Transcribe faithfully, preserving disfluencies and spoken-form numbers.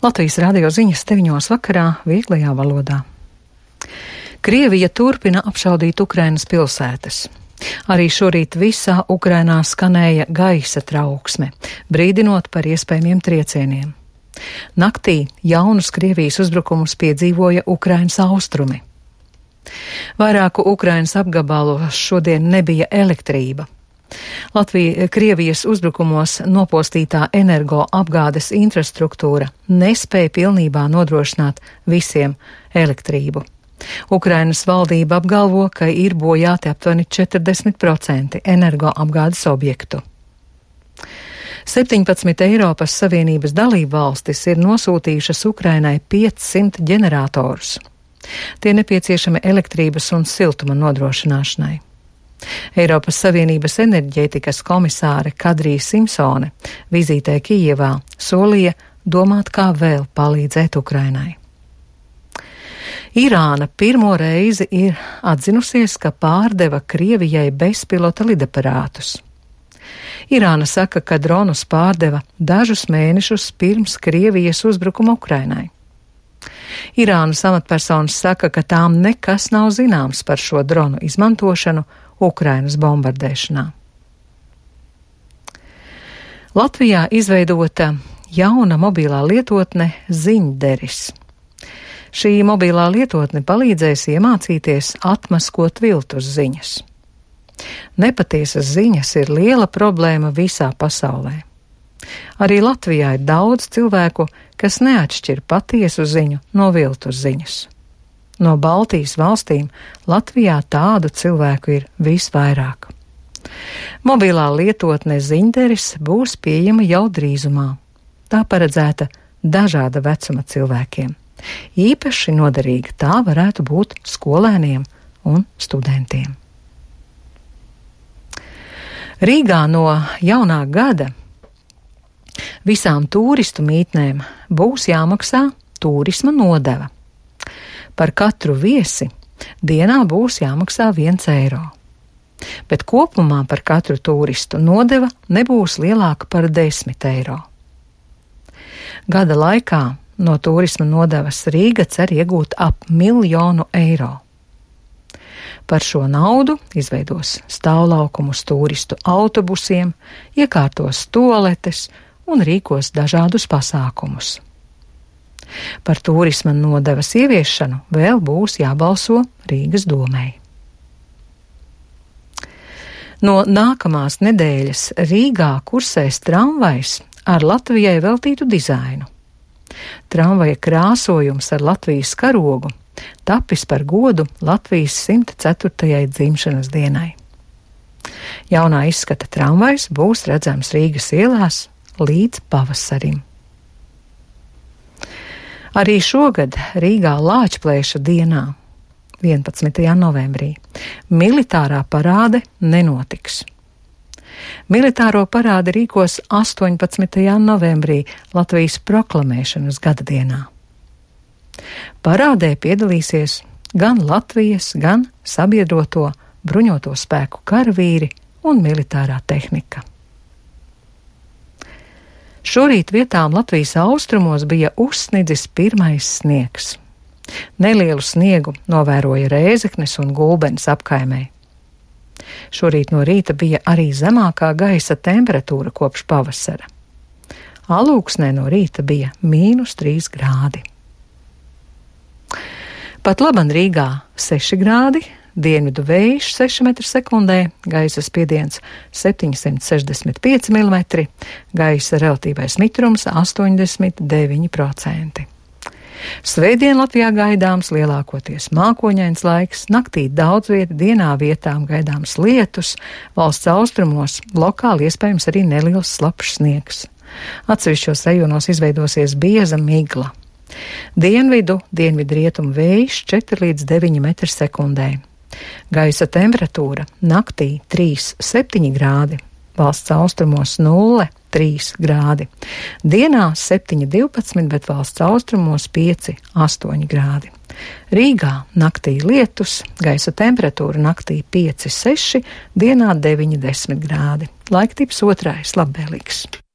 Latvijas radio ziņas deviņos vakarā vieglajā valodā. Krievija turpina apšaudīt Ukrainas pilsētas. Arī šorīt visā Ukrainā skanēja gaisa trauksme, brīdinot par iespējamiem triecieniem. Naktī jaunus Krievijas uzbrukumus piedzīvoja Ukrainas austrumi. Vairāku Ukrainas apgabalos šodien nebija elektrība. Latvija, Krievijas uzbrukumos nopostītā energoapgādes infrastruktūra nespēja pilnībā nodrošināt visiem elektrību. Ukrainas valdība apgalvo, ka ir bojāti aptuveni četrdesmit procenti energoapgādes objektu. septiņpadsmit Eiropas Savienības dalību valstis ir nosūtījušas Ukrainai piecsimt ģeneratorus. Tie nepieciešami elektrības un siltuma nodrošināšanai. Eiropas Savienības enerģētikas komisāre Kadrija Simpsone vizītē Kijevā solīja domāt, kā vēl palīdzēt Ukrainai. Irāna pirmo reizi ir atzinusies, ka pārdeva Krievijai bezpilota lidaparātus. Irāna saka, ka dronus pārdeva dažus mēnešus pirms Krievijas uzbrukuma Ukrainai. Irānas amatpersonas saka, ka tām nekas nav zināms par šo dronu izmantošanu Ukrainas bombardēšanā. Latvijā izveidota jauna mobilā lietotne Ziņderis. Šī mobilā lietotne palīdzēs iemācīties atmaskot viltus ziņas. Nepatiesas ziņas ir liela problēma visā pasaulē. Arī Latvijā ir daudz cilvēku, kas neatšķir patiesu ziņu no viltus ziņas. No Baltijas valstīm Latvijā tādu cilvēku ir visvairāk. Mobilā lietotne Ziņderis būs pieejama jau drīzumā. Tā paredzēta dažāda vecuma cilvēkiem. Īpaši noderīga tā varētu būt skolēniem un studentiem. Rīgā no jaunā gada visām tūristu mītnēm būs jāmaksā turisma nodeva. Par katru viesi dienā būs jāmaksā viens eiro. Bet kopumā par katru turistu nodeva nebūs lielāka par desmit eiro. Gada laikā no turisma nodevas Rīga cer iegūt ap miljonu eiro. Par šo naudu izveidos stāvlaukumus turistu autobusiem, iekārtos toaletes un rīkos dažādus pasākumus. Par turisma nodevas ieviešanu vēl būs jābalso Rīgas domei. No nākamās nedēļas Rīgā kursēs tramvajs ar Latvijai veltītu dizainu. Tramvaja krāsojums ar Latvijas karogu tapis par godu Latvijas simt ceturtajai dzimšanas dienai. Jaunā izskata tramvajs būs redzams Rīgas ielās līdz pavasarim. Arī šogad Rīgā Lāčplēša dienā, vienpadsmitajā novembrī, militārā parāde nenotiks. Militāro parādi rīkos astoņpadsmitajā novembrī Latvijas proklamēšanas gada dienā. Parādē piedalīsies gan Latvijas, gan sabiedroto bruņoto spēku karavīri un militārā tehnika. Šorīt vietām Latvijas austrumos bija uzsnidzis pirmais sniegs. Nelielu sniegu novēroja Rēzeknes un Gulbenes apkaimē. Šorīt no rīta bija arī zemākā gaisa temperatūra kopš pavasara. Alūksnē no rīta bija mīnus trīs grādi. Pat laban Rīgā seši grādi, dienvidu vējš seši metri sekundē, gaisa spiediens septiņsimt sešdesmit pieci milimetri, gaisa relatīvais mitrums astoņdesmit deviņi procenti. Svētdien Latvijā gaidāms lielākoties mākoņains laiks, naktī daudz vieta, dienā vietām gaidāms lietus, valsts austrumos lokāli iespējams arī neliels slapjš sniegs. Atsevišķos rajonos izveidosies bieza migla. Dienvidu, dienvidu rietumu vējš četri līdz deviņi metri sekundē. Gaisa temperatūra naktī trīs septiņi grādi, valsts austrumos nulle trīs grādi. Dienā septiņi divpadsmit, bet valsts austrumos pieci astoņi grādi. Rīgā naktī lietus, gaisa temperatūra naktī pieci seši, dienā deviņi desmit grādi. Laiktips otrais labvēlīgs.